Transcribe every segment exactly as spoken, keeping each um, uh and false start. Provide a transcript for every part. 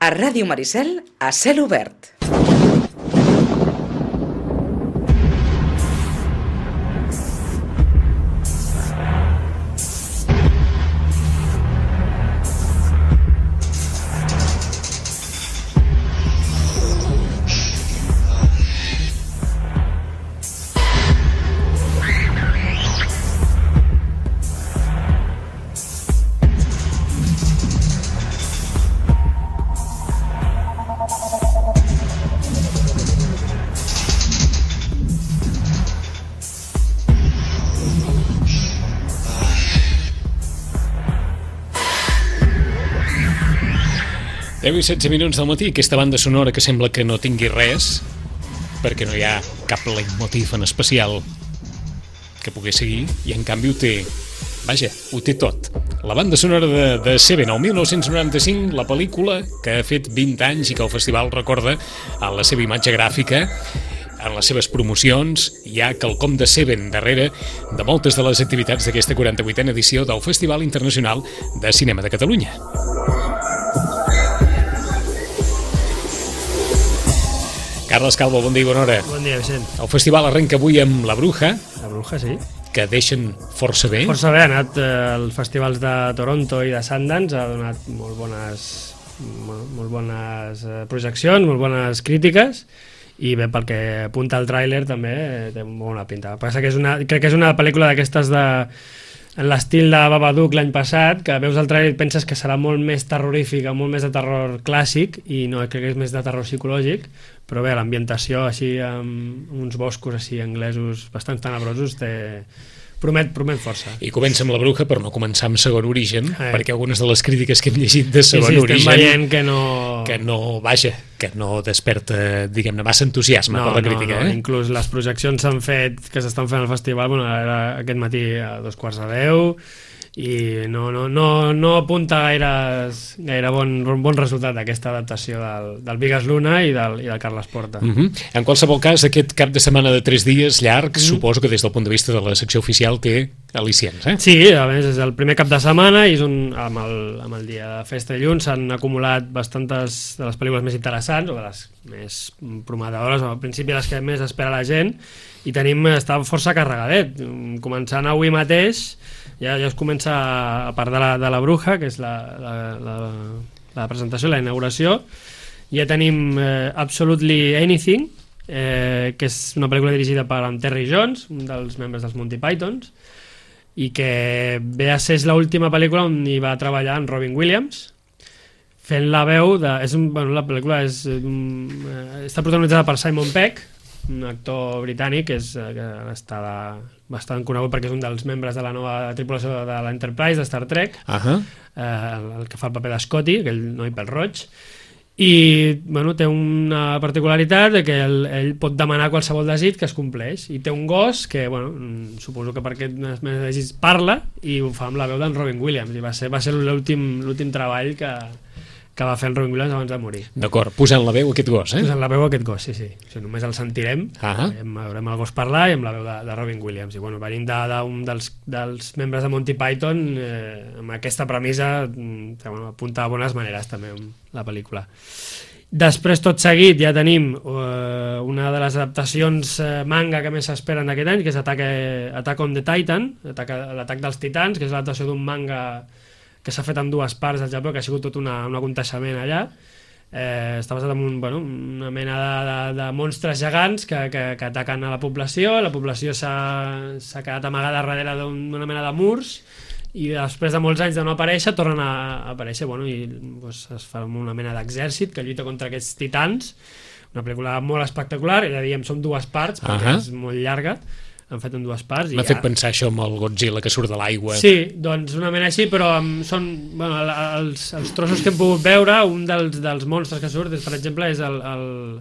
A Ràdio Maricel, a cel obert. deu i setze minuts del matí, aquesta banda sonora que sembla que no tingui res, perquè no hi ha cap leitmotiv en especial que pugui seguir, i en canvi ho té, vaja, ho té tot. La banda sonora de, de Seven, el mil nou-cents noranta-cinc, la pel·lícula que ha fet vint anys i que el festival recorda en la seva imatge gràfica, en les seves promocions. Hi ha quelcom de Seven darrere de moltes de les activitats d'aquesta quaranta-vuitena edició del Festival Internacional de Cinema de Catalunya. Carles Calvo, bon dia i bona hora. Bon dia, Vicent. El festival arrenca avui amb La Bruja. La Bruja, sí. Que deixen força bé. Força bé, ha anat eh, als festivals de Toronto i de Sundance, ha donat molt bones, molt, molt bones eh, projeccions, molt bones crítiques, i bé, pel que apunta el tràiler també eh, té molt bona pinta. Passa que és una, crec que és una pel·lícula d'aquestes de... en l'estil de Babadook l'any passat, que veus el tràiler i penses que serà molt més terrorífica, molt més de terror clàssic, i no, crec que és més de terror psicològic, però bé, l'ambientació així amb uns boscos així anglesos bastant tenebrosos té... promet, promet força. I comença amb La Bruja, però no començar amb Segon Origen, eh. perquè algunes de les crítiques que hem llegit de Segon sí, sí, Origen... estem veient que no... que no, vaja, que no desperta, diguem-ne, massa entusiasme no, per la crítica. No, no. Eh? Inclús les projeccions s'han fet, que s'estan fent al festival, bueno, era aquest matí a dos quarts de deu, i no, no, no, no apunta gaire, gaire bon, bon resultat aquesta adaptació del, del Bigas Luna i del, i del Carles Porta. Uh -huh. En qualsevol cas, aquest cap de setmana de tres dies llarg, uh -huh. suposo que des del punt de vista de la secció oficial té al·licients, eh? Sí, a més és el primer cap de setmana i és un, amb, el, amb el dia de festa de dilluns s'han acumulat bastantes de les pel·lícules més interessants o de les més prometedores, al principi les que més espera la gent, i tenim, està força carregadet, començant avui mateix. Ja, ja es comença, a part de la, de la Bruja, que és la, la, la, la presentació, la inauguració, ja tenim eh, Absolutely Anything, eh, que és una pel·lícula dirigida per en Terry Jones, un dels membres dels Monty Pythons, i que ve a ser l'última pel·lícula on hi va treballar en Robin Williams, fent la veu de... És un, bueno, la pel·lícula és, um, està protagonitzada per Simon Pegg, un actor britànic que, és, que està bastant conegut perquè és un dels membres de la nova tripulació de l'Enterprise, de Star Trek, uh -huh. eh, el, el que fa el paper de Scotty, aquell noi pel-roig, i bueno, té una particularitat de que ell, ell pot demanar qualsevol desig que es compleix, i té un gos que, bueno, suposo que per aquest desig parla, i ho fa amb la veu d'en Robin Williams, i va ser, va ser l'últim l'últim treball que que va fer en Robin Williams abans de morir. D'acord, posant la veu a aquest gos, eh? Posant la veu a aquest gos, sí, sí. O sigui, només el sentirem, uh -huh. veurem el gos parlar i amb la veu de, de Robin Williams. I bueno, venim d'un de, dels, dels membres de Monty Python eh, amb aquesta premissa que bueno, apunta a bones maneres també la pel·lícula. Després, tot seguit, ja tenim eh, una de les adaptacions eh, manga que més s'esperen aquest any, que és Attack, Attack on the Titan, l'atac dels titans, que és l'adaptació d'un manga que s'ha fet en dues parts al Japó, que ha sigut tot una, un aconteixement allà. Eh, està basat en un, bueno, una mena de, de, de monstres gegants que, que, que ataquen a la població. La població s'ha quedat amagada darrere d'una mena de murs, i després de molts anys de no aparèixer tornen a aparèixer, bueno, i doncs, es fa una mena d'exèrcit que lluita contra aquests titans. Una pel·lícula molt espectacular, ja diem, són dues parts perquè uh -huh. és molt llarga, han fet en dues parts. M'ha fet ja... pensar això amb el Godzilla que surt de l'aigua. Sí, doncs una mena així, però són, bueno, els, els trossos que hem pogut veure, un dels, dels monstres que surt, és, per exemple, és el, el,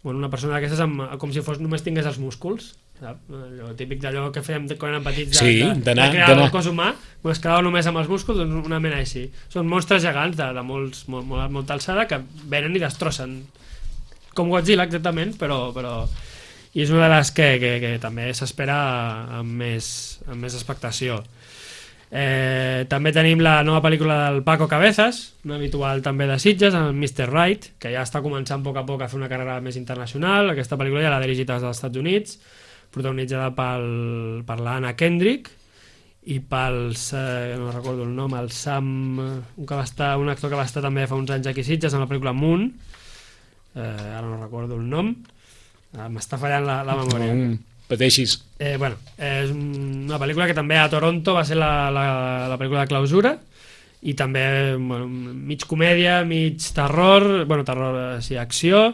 bueno, una persona d'aquestes amb, com si fos, només tingués els músculs, sap? Allò típic d'allò que fèiem quan érem petits, de, sí, de, de crear el cos humà, es quedava només amb els músculs, doncs una mena així. Són monstres gegants de, de molts, molt, molt, molta alçada que venen i destrossen, com Godzilla exactament, però... però i és una de les que, que, que també s'espera amb, més, amb més expectació. Eh, també tenim la nova pel·lícula del Paco Cabezas, un habitual també de Sitges, el mister Right, que ja està començant a poc a poc a fer una carrera més internacional. Aquesta pel·lícula ja l'ha dirigit des dels Estats Units, protagonitzada pel, per l'Anna Kendrick i pels, eh, no recordo el nom, el Sam, un, que va estar, un actor que va estar també fa uns anys aquí a Sitges en la pel·lícula Moon, eh, ara no recordo el nom, eh, m'està fallant la, la memòria. Mm, pateixis. Eh, bueno, és una pel·lícula que també a Toronto va ser la, la, la pel·lícula de clausura, i també bueno, mig comèdia, mig terror, bueno, terror, eh, sí, acció,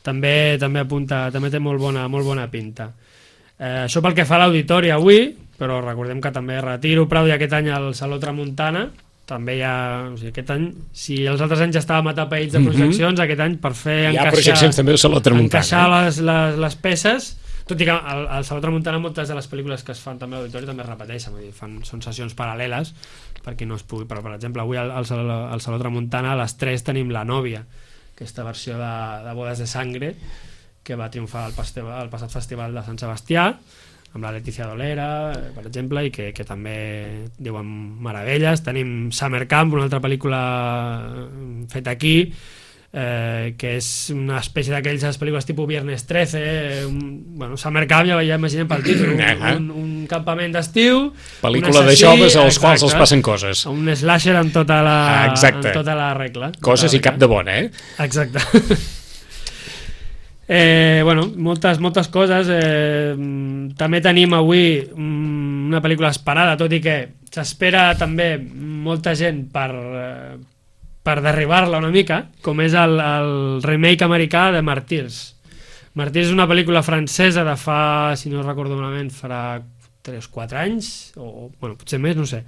també també apunta, també té molt bona, molt bona pinta. Eh, això pel que fa a l'auditori avui, però recordem que també retiro Prado i aquest any al Saló Tramuntana, també hi ha, o sigui, aquest any, si els altres anys ja estàvem atapeïts de projeccions, mm-hmm. aquest any per fer hi encaixar, ha projeccions també al Saló Tramuntana, encaixar eh? les, les, les peces, tot i que al, al Saló Tramuntana moltes de les pel·lícules que es fan també a l'auditori també es repeteixen, vull dir, fan, són sessions paral·leles per qui no es pugui, però per exemple avui al, al, Saló, al Saló Tramuntana a les tres tenim La Nòvia, aquesta versió de, de Bodes de Sangre que va triomfar al, festival, al passat festival de Sant Sebastià amb la Letícia Dolera, per exemple, i que, que també diuen meravelles. Tenim Summer Camp, una altra pel·lícula feta aquí, eh, que és una espècie d'aquelles pel·lícules tipus Viernes trece, eh, un, bueno, Summer Camp ja, ja imaginem pel títol, un, un, un campament d'estiu, pel·lícula de joves als quals els passen coses. Un slasher amb tota la, amb tota la regla. Coses i cap de bona, eh? Exacte. Eh, bueno, moltes, moltes coses. Eh, també tenim avui una pel·lícula esperada, tot i que s'espera també molta gent per, eh, per derribar-la una mica, com és el, el remake americà de Martyrs. Martyrs és una pel·lícula francesa de fa, si no recordo malament, farà tres o quatre anys, o bueno, potser més, no sé.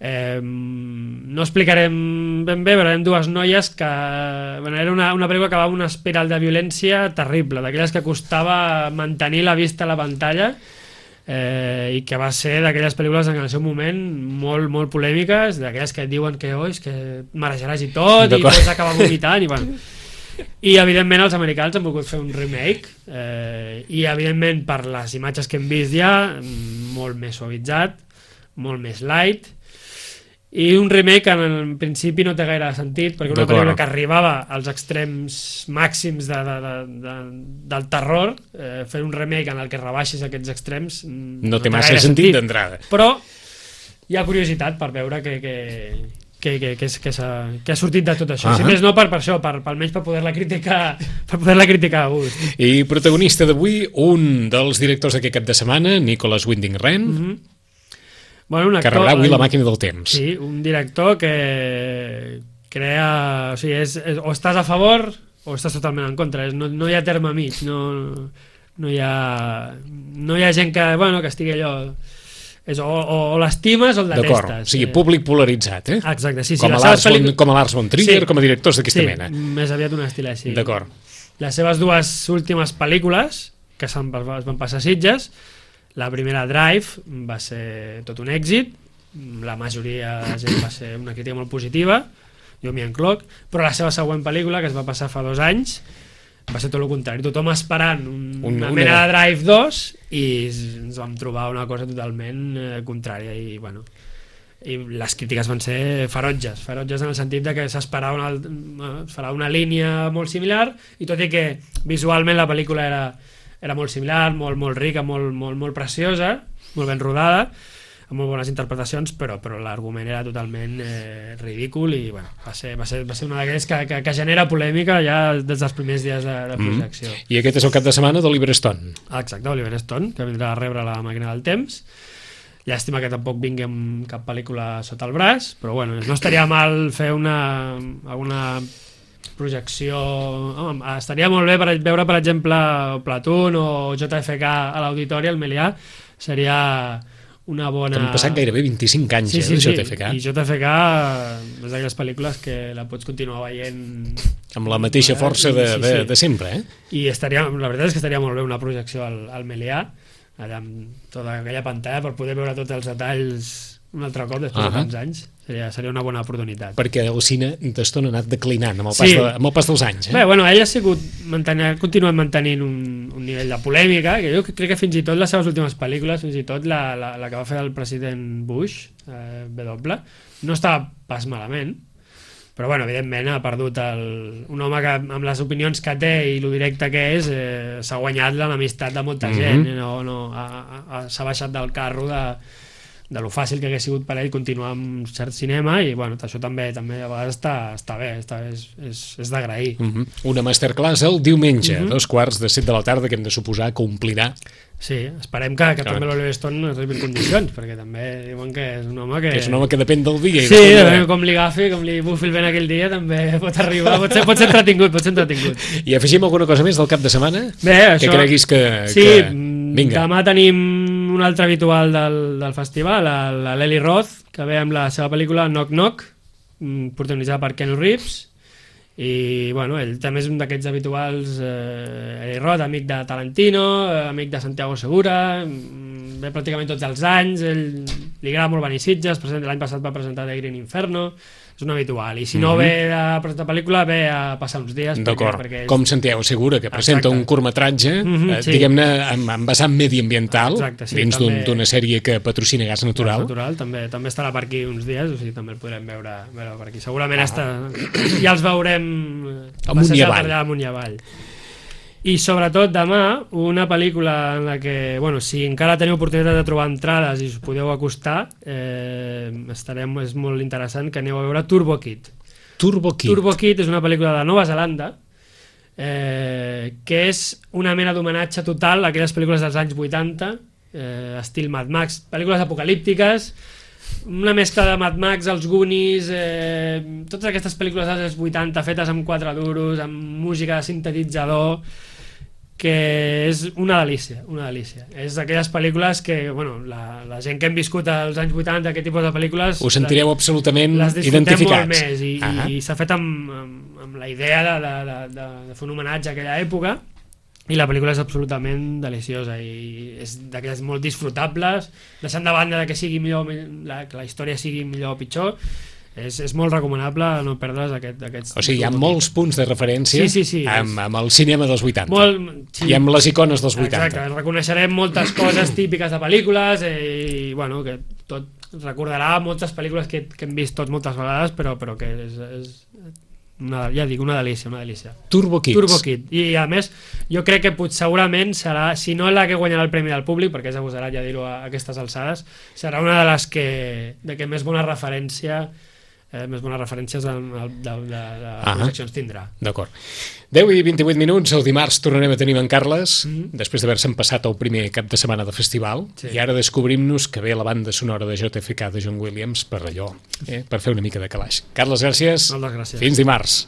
Eh, no explicarem ben bé, però eren dues noies que bueno, era una, una pel·lícula que va amb una espiral de violència terrible, d'aquelles que costava mantenir la vista a la pantalla, eh, i que va ser d'aquelles pel·lícules en el seu moment molt, molt polèmiques, d'aquelles que et diuen que oh, és que marejaràs i tot i pots acabar vomitant i, bueno. I evidentment els americans han volgut fer un remake, eh, i evidentment per les imatges que hem vist ja molt més suavitzat, molt més light, i un remake que en principi no té gaire sentit, perquè una pel·lícula que arribava als extrems màxims de, de, de, de, del terror, eh, fer un remake en el que rebaixis aquests extrems no, no té massa sentit, sentit d'entrada, però hi ha curiositat per veure que, que, que, que, que, que, que ha sortit de tot això. Uh -huh. Si més no per, per això, per, per almenys per poder-la criticar per poder-la criticar a gust. I protagonista d'avui, un dels directors d'aquest cap de setmana, Nicholas Winding Refn, uh -huh. Bueno, un actor, que rebrà avui La màquina del temps. Sí, un director que crea... O sigui, és, és, o estàs a favor o estàs totalment en contra. No, no hi ha terme mig. No, no, hi ha, no hi ha gent que, bueno, que estigui allò... És, o o, o l'estimes o el detestes. D'acord, o sigui, públic polaritzat, eh? Exacte, sí, sí. Com a Lars pel·lícula... von, von Trier, sí, com a directors d'aquesta sí, mena. Més aviat un estil així. D'acord. Les seves dues últimes pel·lícules, que es van passar a Sitges, la primera, Drive, va ser tot un èxit, la majoria de gent va ser una crítica molt positiva, jo m'hi encloc, però la seva següent pel·lícula, que es va passar fa dos anys, va ser tot el contrari, tothom esperant un, un, una mena de Drive dos i ens vam trobar una cosa totalment eh, contrària i bueno, i les crítiques van ser ferotges, ferotges en el sentit de que s'esperava una, farà una línia molt similar, i tot i que visualment la pel·lícula era era molt similar, molt, molt rica, molt, molt, molt preciosa, molt ben rodada, amb molt bones interpretacions, però, però l'argument era totalment eh, ridícul i bueno, va, ser, va, ser, va ser una d'aquells que, que, que genera polèmica ja des dels primers dies de, de projecció. Mm. I aquest és el cap de setmana d'Oliver Stone. Exacte, Oliver Stone, que vindrà a rebre La màquina del temps. Llàstima que tampoc vingui amb cap pel·lícula sota el braç, però bueno, no estaria mal fer una... alguna projecció... Home, estaria molt bé per veure, per exemple, Platoon o J F K a l'auditori, al Melià, seria una bona... Han passat gairebé vint-i-cinc anys, sí, sí, eh, de sí. J F K. I J F K és d'aquelles pel·lícules que la pots continuar veient... Amb la mateixa força de, sí, sí. de, de sempre, eh? I estaria, la veritat és que estaria molt bé una projecció al, al Melià, allà amb tota aquella pantalla, per poder veure tots els detalls un altre cop després uh -huh. de tants anys. Seria, seria una bona oportunitat. Perquè el cine d'estona ha anat declinant amb el pas, Sí. de, amb el pas dels anys. Eh? Bé, bueno, ell ha sigut mantenir, ha continuat mantenint un, un nivell de polèmica, que jo crec que fins i tot les seves últimes pel·lícules, fins i tot la, la, la que va fer el president Bush, eh, W, no estava pas malament, però bueno, evidentment ha perdut el, un home que amb les opinions que té i lo directe que és eh, s'ha guanyat l'amistat de molta Mhm. gent, no, no, ha- ha- s'ha baixat del carro de, de lo fàcil que hagués sigut per ell continuar amb cert cinema i bueno, això també també a vegades està, està bé, està, és, és, és d'agrair. Uh -huh. Una masterclass el diumenge, uh Mhm. -huh. dos quarts de set de la tarda, que hem de suposar que omplirà. Sí, esperem que, que Clar. també l'Oliver Stone arribi en condicions, perquè també diuen que és un home que... Que és un home que depèn del dia. i Sí, depèn de- depèn com li agafi, com li bufi el vent aquell dia, també pot arribar, pot ser, pot ser entretingut, pot ser entretingut. I afegim alguna cosa més del cap de setmana? Bé, Que això... creguis que... Sí, que... mm, Vinga. demà tenim un altre habitual del, del festival, la, la Lely Roth, que ve amb la seva pel·lícula Knock Knock, mm, protagonitzada per Keanu Reeves, i bueno, ell també és un d'aquests habituals, eh, Eli Roth, amic de Tarantino, eh, amic de Santiago Segura, mm, ve pràcticament tots els anys, ell li agrada molt venir a Sitges, presenta- l'any passat va presentar The Green Inferno, és un habitual, i si no Mhm. ve a presentar pel·lícula ve a passar uns dies perquè, D'acord, perquè és- com Santiago Segura, que presenta Exacte. un curtmetratge, Mhm, eh, sí. diguem-ne, amb, amb vessant mediambiental, Exacte, sí, dins d'un- també- d'una sèrie que patrocina Gas Natural. natural també, també estarà per aquí uns dies, o sigui, també el podrem veure, veure per aquí. Segurament ah. està, ja els veurem eh, Amunt i passejar avall. per allà amunt i avall. I sobretot demà, una pel·lícula en la que, bueno, si encara teniu oportunitat de trobar entrades i us podeu acostar, eh, estarem, és molt interessant que aneu a veure Turbo Kid. Turbo Kid. Turbo Kid és una pel·lícula de Nova Zelanda eh, que és una mena d'homenatge total a aquelles pel·lícules dels anys vuitanta, eh, estil Mad Max, pel·lícules apocalíptiques, una mescla de Mad Max, els Goonies, eh, totes aquestes pel·lícules dels anys vuitanta fetes amb quatre duros, amb música de sintetitzador, que és una delícia, una delícia. És d'aquelles pel·lícules que, bueno, la, la gent que hem viscut als anys vuitanta, aquest tipus de pel·lícules... Us sentireu absolutament les disfrutem identificats. molt més i, Ah. i s'ha fet amb, amb, amb la idea de, de, de, de, de fer un homenatge a aquella època i la pel·lícula és absolutament deliciosa i és d'aquelles molt disfrutables, deixant de banda de que sigui millor, la, que la història sigui millor o pitjor, és, és molt recomanable no perdre's aquest, aquests... O sigui, hi ha molts punts de referència Sí, sí, sí, amb, és- amb el cinema dels vuitanta. molt, sí. I amb les icones dels vuitanta. Exacte, reconeixerem moltes coses típiques de pel·lícules eh, i bueno, que tot recordarà moltes pel·lícules que, que hem vist tots moltes vegades, però, però que és, és una, ja dic, una delícia, una delícia. Turbo Kids. Turbo Kid. I a més, jo crec que pot, segurament serà, si no la que guanyarà el Premi del Públic, perquè és agosarat ja dir-ho a, a aquestes alçades, serà una de les que, de que més bona referència eh, més bones referències de, de, de, de, de Ah. projeccions tindrà. D'acord. deu i vint-i-vuit minuts, el dimarts tornarem a tenir en Carles, Mhm. després d'haver-se'n passat el primer cap de setmana de festival, Sí. i ara descobrim-nos que ve la banda sonora de J F K de John Williams per allò, eh, per fer una mica de calaix. Carles, gràcies. Moltes gràcies. Fins dimarts.